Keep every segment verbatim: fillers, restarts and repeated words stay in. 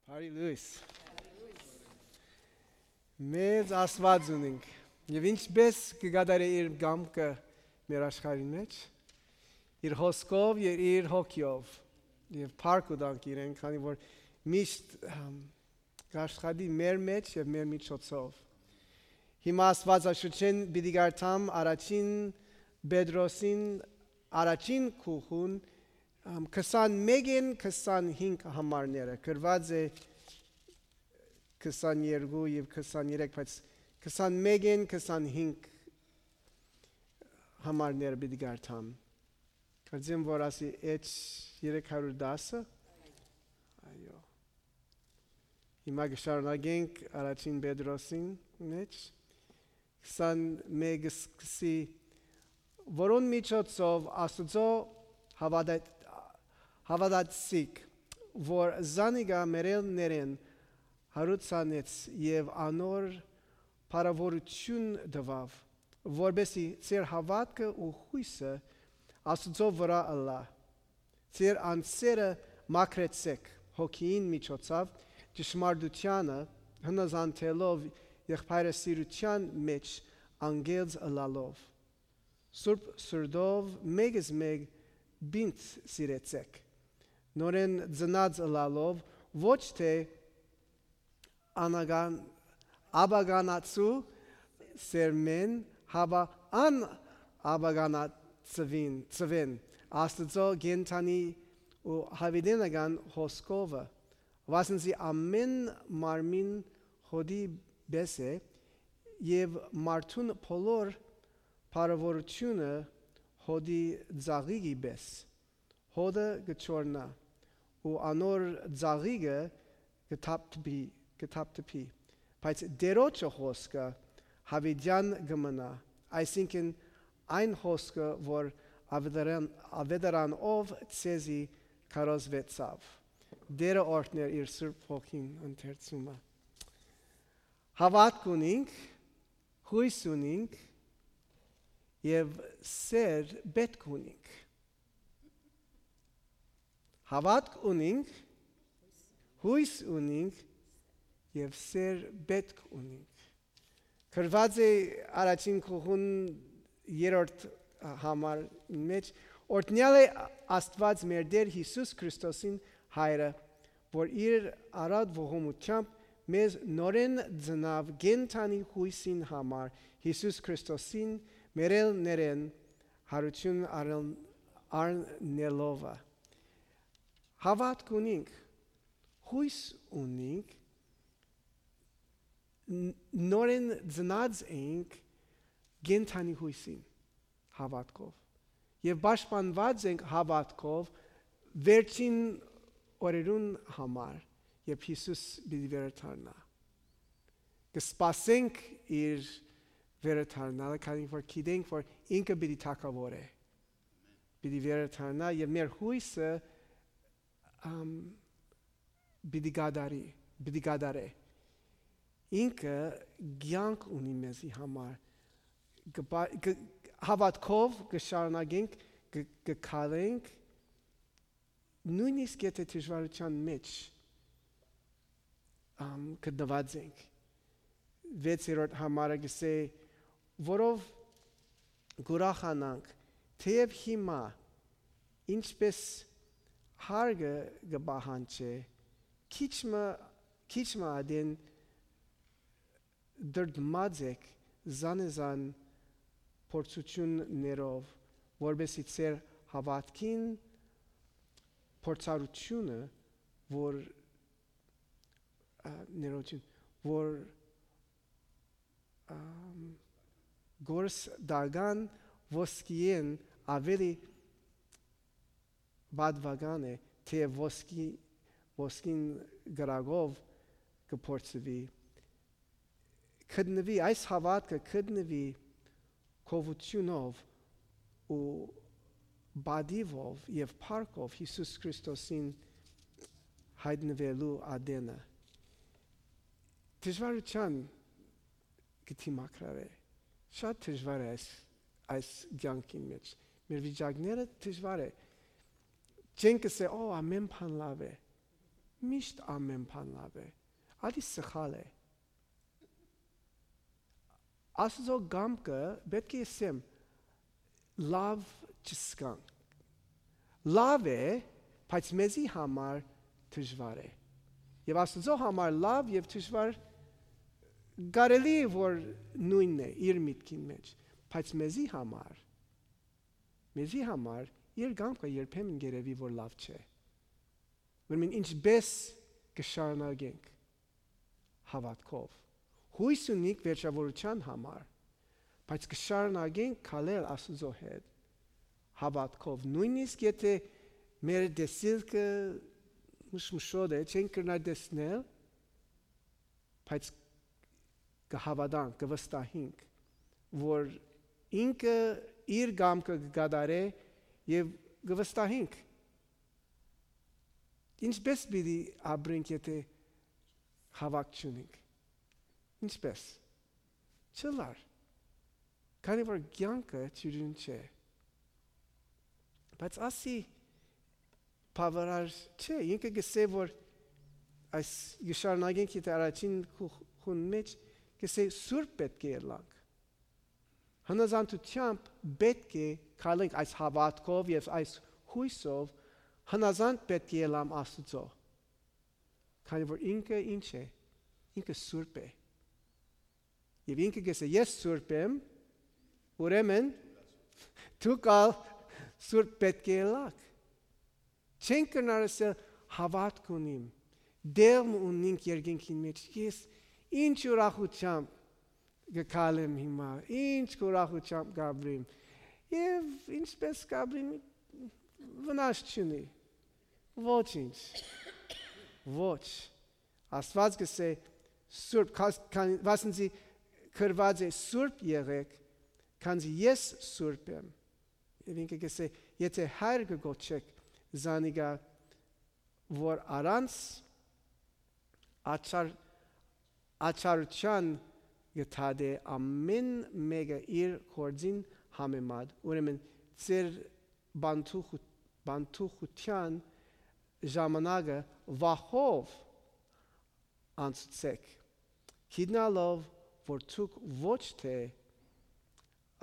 Բարի լույս։ Մեծ Աստված ունենք։ Եվ ինչպես կգադարի իր գամքը մեր աշխարհի մեջ, իր հոսքով եւ իր հոգիով եւ փառք ու դանք իրեն, քանի որ միշտ գաշխատի մեր մեջ եւ մեր միջոցով։ Հիմա Աստվածաշունչեն պիտի գարտամ առաջին Պետրոսին առաջին քուխուն քսանմեկին քսանհինգ համարները գրված է քսաներկու եւ քսաներեք, բայց քսանմեկին քսանհինգ համարները պիտի գարտամ։ Կարծեմ որ ասի էջ երեք հարյուր դասը։ Այո։ Հիմա կշարունակենք առաջին Պետրոսին մեջ քսանմեկը սկսի, որոն միջոցով Աստծո հավատաց Հավատացիք, որ զանիգա մերելներեն հարուցանեց եւ անոր փառավորություն տվավ, որբեսի ծեր հավատքը ու հույսը Աստծո վրա ըլլա։ Ծեր անձերը մաքրեցեք հոգին միջոցով ճշմարտությանը հնազանդելով եղբայրասիրության մեջ անգելձ ըլլալով։ Սուրբ սրդով մեգս մեկ բինտ սիրեցեք։ Նորեն ծնած ըլլալով ոչ թե անագան աբագանացու սերմեն հավա ան աբագանացվին ծվեն Աստծո գենթանի ու հավիդենական հոսքովը վասնզի ամեն մարմին հոդի բես է եւ մարդուն բոլոր փառավորությունը հոդի ծաղիկի բես հոդը գչորնա ու անոր ծաղիկը գտապտի գտապտի բայց դերոջը հոսքը հավիդյան գմնա այսինքն այն հոսքը որ ավետարան ավետարան ով ցեզի կարոզվեցավ դերը օրհներ իր սուրբ հոգին ընթերցումը հավատք ունենք հույս ունենք եւ սեր պետք ունենք Հավատք ունենք, հույս ունենք եւ սեր պետք ունենք։ Գրված է առաջին քուխուն երրորդ համար մեջ օրհնյալ է Աստված մեր Տեր Հիսուս Քրիստոսին հայրը, որ իր արած ողորմությամբ մեզ նորեն ծնավ գենթանի հույսին համար Հիսուս Քրիստոսին մերել ներեն հարություն առնելով Հավատք ունենք, հույս ունենք, նորեն ծնած ենք գենթանի հույսին հավատքով եւ պաշտպանված ենք հավատքով վերջին օրերուն համար երբ Հիսուս պիտի վերադառնա կսպասենք իր վերադառնալը քանի որ գիտենք որ ինքը պիտի թագավոր է պիտի վերադառնա եւ մեր հույսը Um, բիդիգադարի, բիդիգադարե ինքը գյանք ունի մեզի համար հավատքով կշարունակենք կքալենք նույնիսկ եթե դժվարության մեջ կդված ենք վեցերորդ համարը գսե որով գուրախանանք թեև հիմա ինչպես Հարգը գբահանչե քիչմը քիչմը adin դրդմածեք զանեզան փորձություններով որբեսի ծեր հավատքին փորձառությունը որ ներողություն որ գորս դագան ոսկիեն ավելի բադվագան է թե ոսկի ոսկին գրագով կփորձվի կդնվի այս հավատքը կդնվի քովությունով ու բադիվով եւ փառքով Հիսուս Քրիստոսին հայտնվելու ադենը դժվարության գտիմակրարե շատ դժվար է այս ցանկին մեջ մեր վիճակները դժվար է Չենք ասե, օ, ամեն բան լավ է, միշտ ամեն բան լավ է, ալի սխալ է։ Աստծո կամքը պետք է ասեմ լավ չսկանք։ Լավ է, բայց մեզի համար դժվար է։ Եվ Աստծո համար լավ եւ դժվար կարելի է որ նույնն է իր միտքին մեջ, բայց մեզի համար մեզի համար իր կամքը երբեմն երևի որ լավ չէ։ Ուրեմն ինչպես կշարունակենք հավատքով։ Հույս ունենք վերջավորության համար, բայց կշարունակենք քալել Աստծո հետ հավատքով։ Նույնիսկ եթե մեր դեսիլքը մշմշոտ է, չենք կրնա դեսնել, բայց կհավատանք, կվստահենք, որ ինքը իր կամքը կգադարե եւ կվստահենք։ Ինչպես պիտի ապրենք, եթե հավատ չունենք։ Ինչպես։ Չլար։ Քանի որ կյանքը ճյուրին չէ։ Բայց ասի բավարար չէ, ինքը գսե որ այս գշարնագենք եթե առաջին խուն մեջ գսե սուրբ պետք է ելանք։ Հնազանդությամբ պետք է քալենք այս հավատքով եւ այս հույսով հնազանդ պետք է ելամ Աստծո։ Քանի որ ինքը ինչ է, ինքը սուրբ է։ Եվ ինքը գսե ես սուրբ եմ, ուրեմն դու կալ սուրբ պետք է ելակ։ Չենք կնար ասել հավատք ունիմ, դեմ ունենք երկինքին մեջ, ես ինչ ուրախությամբ գկալեմ հիմա, ինչ ուրախությամբ գաբրիմ, և ինչպես գաբրիմ վնաս չունի, ոչինչ, ոչ, Աստված գսե սուրբ, վասնզի քրված է սուրբ եղեք, քանզի ես սուրբ եմ, և ինքը գսե, եթե հայր կգոչեք զանիգա, որ առանց աչար, աչարության գտադե ամեն մեկը իր գործին համեմատ, ուրեմն ծեր բանթուխության ժամանակը վախով անցուցեք, գիտնալով, որ ցուկ ոչ թե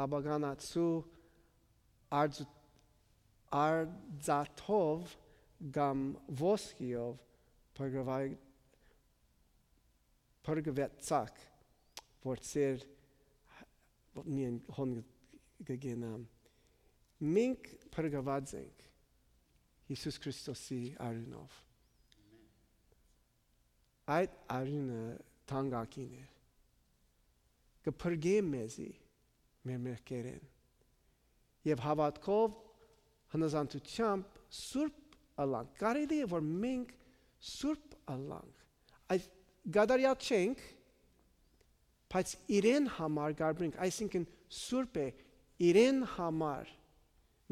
աբագանացու արձաթով կամ ոսկիով փրկվեցաք, որ ծեր միայն հոն գգենամ։ Մենք փրկված ենք Հիսուս Քրիստոսի արյունով։ Այդ արյունը թանկագին է։ Կփրկե մեզի մեր մեղքերեն։ Եվ հավատքով հնազանդությամբ սուրբ ալանք։ Կարելի է որ մենք սուրբ ալանք։ Այդ գադարյալ չենք, բայց իրեն համար գարբրենք, այսինքն սուրբ է իրեն համար,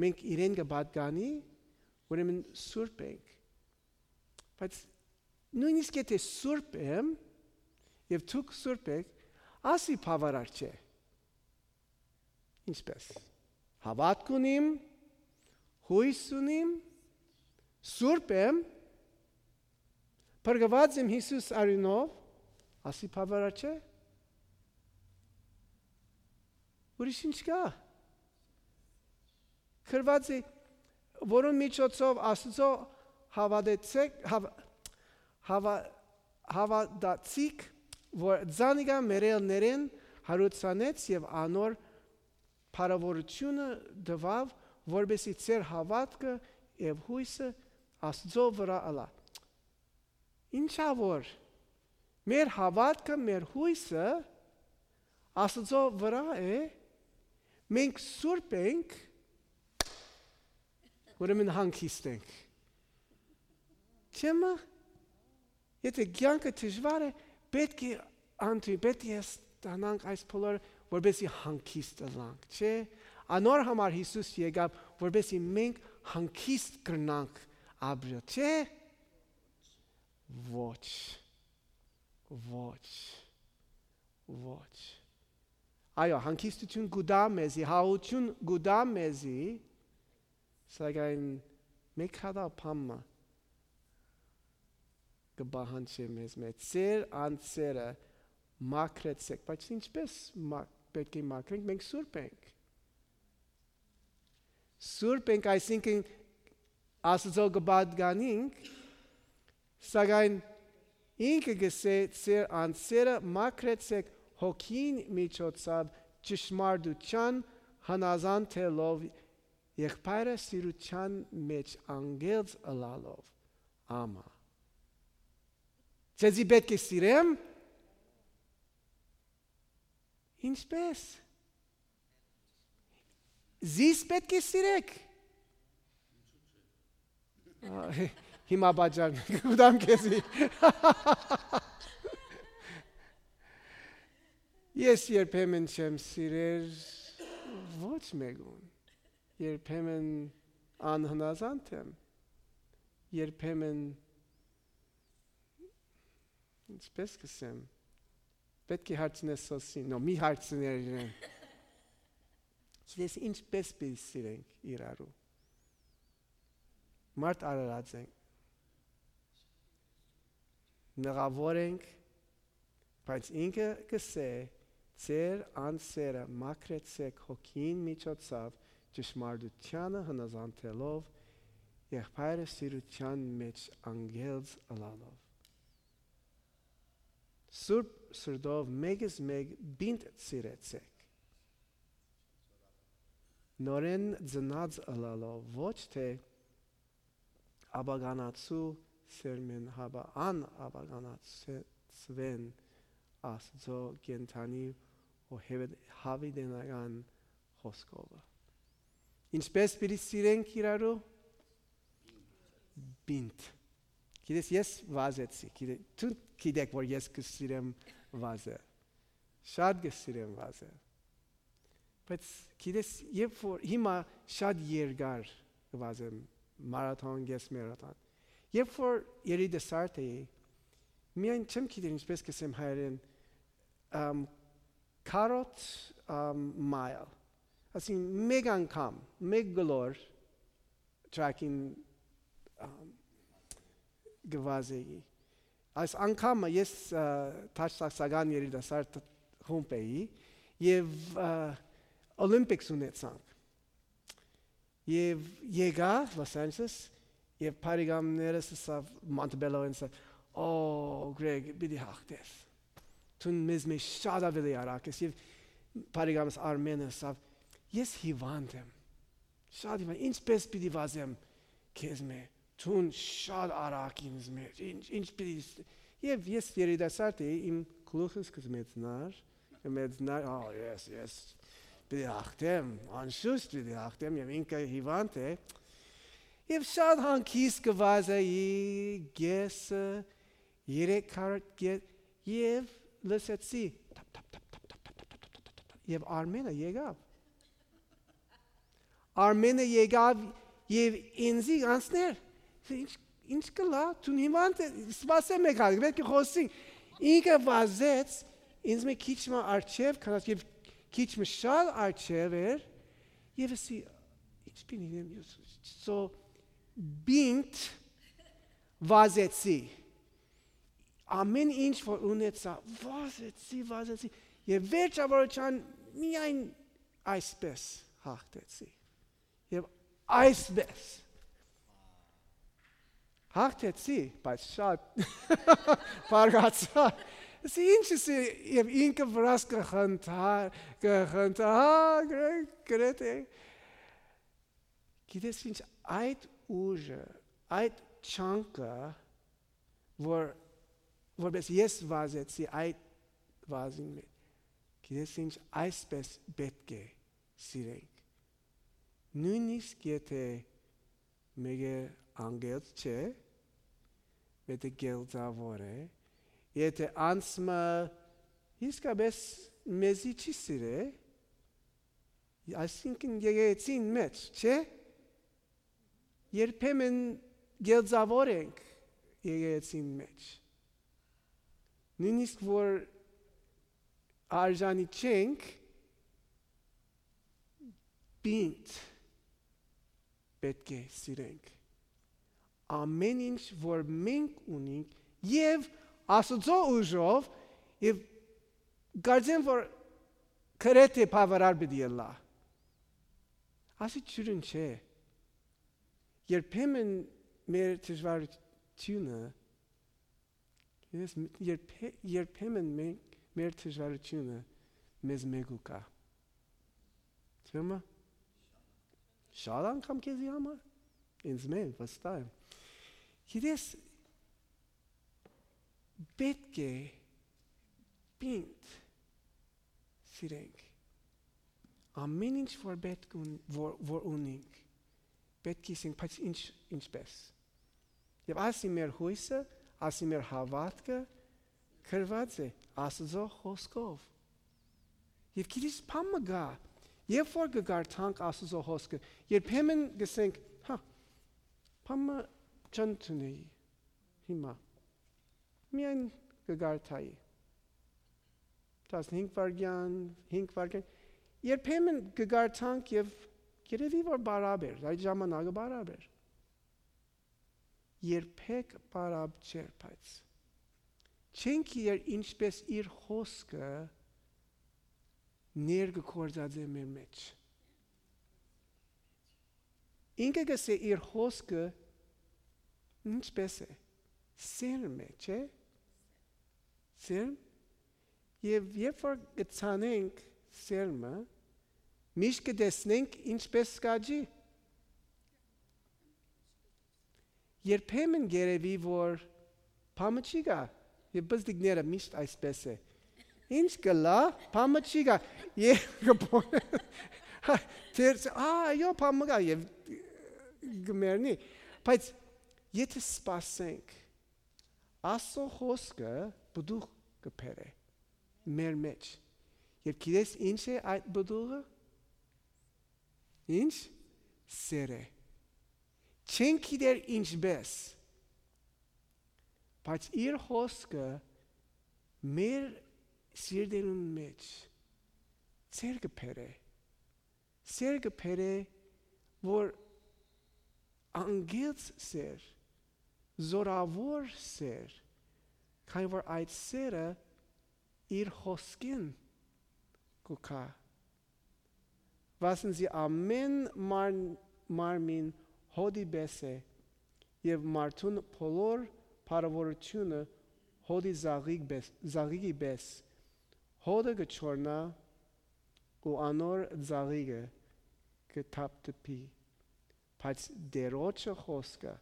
մենք իրեն կբատկանի, ուրեմն սուրբ ենք, բայց նույնիսկ եթե սուրբ եմ, և թուք սուրբ եք, ասի բավարար չէ, ինչպես, հավատք ունիմ, հույս ունիմ, սուրբ եմ, փրկված եմ Հիսուս արյունով, ասի բավարար չէ, ուրիշ ինչ կա։ Քրված է, որոն միջոցով Աստծո հավատացիք, որ ձանիգա մերելներեն հարուցանեց և անոր փարավորությունը դվավ, որբեսի ծեր հավատքը և հույսը Աստծո վրա ալա։ Ինչա որ մեր հավատքը, մեր հույսը Աստծո վրա է, մենք սուրբ ենք, ուրեմն հանգիստ ենք։ Չեմա, եթե կյանքը դժվար է, պետք է անտուի, պետք է ստանանք այս բոլորը, որպեսզի հանգիստ ըլանք, չէ՞։ Անոր համար Հիսուս եկավ, որպեսզի մենք հանգիստ կրնանք ապրել, չէ՞։ Ոչ, ոչ, ոչ։ Այո, հանգիստություն գուդա մեզի, հաղություն գուդա մեզի, սակայն մեկ հատա պամը, կբահանջի մեզ մեծ ծեր անձերը մաքրեցեք, բայց ինչպես պետք է մաքրենք, մենք սուրբ ենք։ Սուրբ ենք, այսինքն Աստծո կպատկանենք, սակայն ինքը գսե ծեր անձերը մաքրեցեք հոգին միջոցով ճշմարտության հնազանդելով եղբայրը սիրության մեջ անգելց ըլալով։ Ամա։ Ձեզի պետք է սիրեմ։ Ինչպես։ Զիս պետք է սիրեք։ Հիմա բաժան կուտամ քեզի։ Ես երբեմն չեմ սիրեր ոչ մեկուն։ Երբեմն անհնազանդ եմ։ Երբեմն ինչպես կսեմ։ Պետք է հարցնես սոսին, նո մի հարցներ իրեն։ Գիտես ինչպես պիտի սիրենք իրարու։ Մարդ արարած ենք։ Նեղավոր ենք, բայց ինքը կսե ծեր անձերը մաքրեցեք հոգին միջոցով ճշմարտությանը հնազանդելով եղբայրը սիրության մեջ անգելց ըլալով։ Սուրբ սրտով մեկս մեկ բինտ սիրեցեք։ Նորեն ծնած ըլալով ոչ թե աբագանացու սերմեն հաբա ան աբագանացվեն Աստծո կենթանի ու հավիդենական խոսքովը։ Ինչպես պիտի սիրենք իրարու։ Բինտ։ Գիտես ես վազեցի, դու գիտեք որ ես կսիրեմ վազել։ Շատ կսիրեմ վազել։ Բայց գիտես երբ որ հիմա շատ երկար վազեմ մարաթոն, ես մարաթոն։ Երբ որ երիտասարդ էի, միայն չեմ գիտեր ինչպես կսեմ հայերեն քառորդ մայլ։ Ասին մեկ անգամ, մեկ գլոր tracking գվազեի։ Այս անգամը ես տաշտակսական երիտասարդ խումբ էի և Օլիմպիքս ունեցանք։ Եվ եկա Լոս Անջելես և փարիգամներս ասավ Մոնտեբելոն ասավ «Օ, Գրեգ, պիտի հաղթես։ Դու մեզ մեջ շատ ավելի արագ ես» և փարիգամս Արմենը ասավ «Ես հիվանդ եմ, շատ հիվանդ, ինչպես պիտի վազեմ քեզ մեջ, դու շատ արագ ինձ մեջ, ինչ պիտի» Եվ ես երիտասարդ էի, իմ գլուխս կմեծնար, կմեծնար, «Օ, ես, ես» պիտի հաղթեմ, անշուշտ պիտի հաղթեմ և ինքը հիվանդ է և շատ հանգիստ կվազեի գեսը, երեք քառորդ գես և լսեցի և Արմենը եկավ։ Արմենը եկավ և ինձի անցներ, ինչ կլա, դու հիվանդ ես, սպասեմ եք հալ, պետք է խոսենք, ինքը վազեց, ինձ մեկ քիչ մը առջև, քանած և քիչ մը շատ առջև էր, և ասի, ինչ պինի, so բինտ վազեցի, ամեն ինչ որ ունեցա, վազեցի, վազեցի, և վերջավորության միայն այսպես հաղթեցի, և այսպես հաղթեցի, բայց շատ բարգացա, ասի ինչս է, և ինքը վրաս կխնդար, կխնդար, գրեթե, գիտես ինչ այդ ուժը, այդ չանկը, որ որպես ես վազեցի այդ վազին մեջ, գիտես ինչ այսպես պետք է սիրենք, նույնիսկ եթե մեկը անգելց չէ, եթե գելձավոր է, եթե անցմը իսկապես մեզի չի սիրե, այսինքն եկեղեցին մեջ, չէ, երբեմն գելձավոր ենք եկեղեցին մեջ, նույնիսկ որ արժանի չենք, բինտ պետք է սիրենք, ամեն ինչ որ մենք ունենք Եվ Աստծո ուժով եւ գարձեն որ քրեթե բավարար բդիլա։ Ասի ճուրին չէ։ Երբեմն մեր դժվարությունը ես երբեմն մեր դժվարությունը մեզ մեգուկա։ Չեմա։ Շատ անգամ քեզի համար։ Ինձ մեկ վստահ եմ։ Գիտես պետք է պինդ սիրենք ամեն ինչ որ պետք որ, որ ունենք պետք է սենք բայց ինչ ինչպես եւ ասի մեր հույսը ասի մեր հավատքը քրված է Աստծո խոսքով եւ գիտես փամը գա երբ որ գարտանք Աստծո խոսքը երբեմն գսենք հա փամը չընտնի հիմա միայն գարտայի տասնհինգ վայրկյան, հինգ վայրկյան, երբեմն գարտանք եւ երևի որ բարաբեր, այդ ժամանակը բարաբեր։ Երբեք բարաբ չէ, բայց չենք իր ինչպես իր խոսքը ներգործած է մեր մեջ։ Ինքը գսե իր խոսքը ինչպես է, սերմ է, չէ՞։ Սերմ Եվ երբ որ գցանենք սերմը, միշտ կտեսնենք ինչպես կաջի։ Երբեմն երևի որ փամը չի գա, եւ բզդիկները միշտ այսպես է։ Ինչ կլա, փամը չի գա։ Եվ կփոն։ Տերս, այո, փամը գա եւ գմերնի։ Բայց եթե սպասենք, Աստծո խոսքը բդուղ կփերե։ Մեր մեջ։ Եվ գիտես ինչ է այդ բդուղը։ Ինչ սեր է։ Չենք գիտեր ինչպես։ Բայց իր խոսքը մեր սիրտերուն մեջ սեր կփերե։ Սեր կփերե որ անգից սեր, զորավոր սեր, քանի որ այդ սերը իր խոսքին կուքա։ Վասնզի ամեն մարմին հոդի բես է եւ մարդուն բոլոր փառավորությունը հոդի զաղիգի բես հոդը կչորնա ու անոր զաղիգը կթափթփի բայց դերոջը խոսքը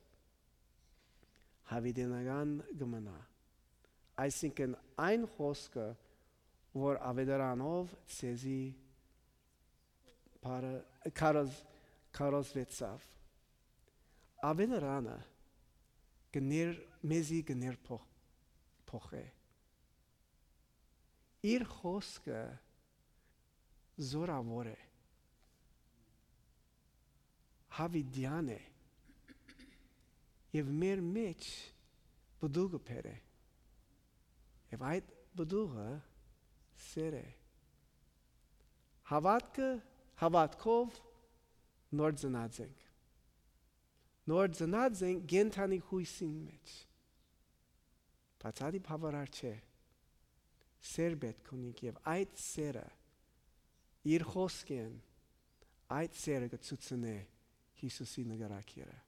հավիտենական կմնա այսինքն այն խոսքը, որ ավետարանով ցեզի կարոզվեցավ։ Ավետարանը գներ մեզի գներ փոխե։ Իր խոսքը զորավոր է։ Հավիտյան է։ Եվ մեր մեջ բդուղը փեր է։ Եվ այդ բդուղը սեր է։ Հավատքը, հավատքով նոր ծնած ենք։ Նոր ծնած ենք գենթանի հույսին մեջ։ Բայց ադի բավարար չէ։ Սեր պետք ունենք եւ այդ սերը իր խոսքեն այդ սերը կցուցնե Հիսուսի նկարակիրը։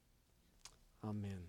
Ամեն։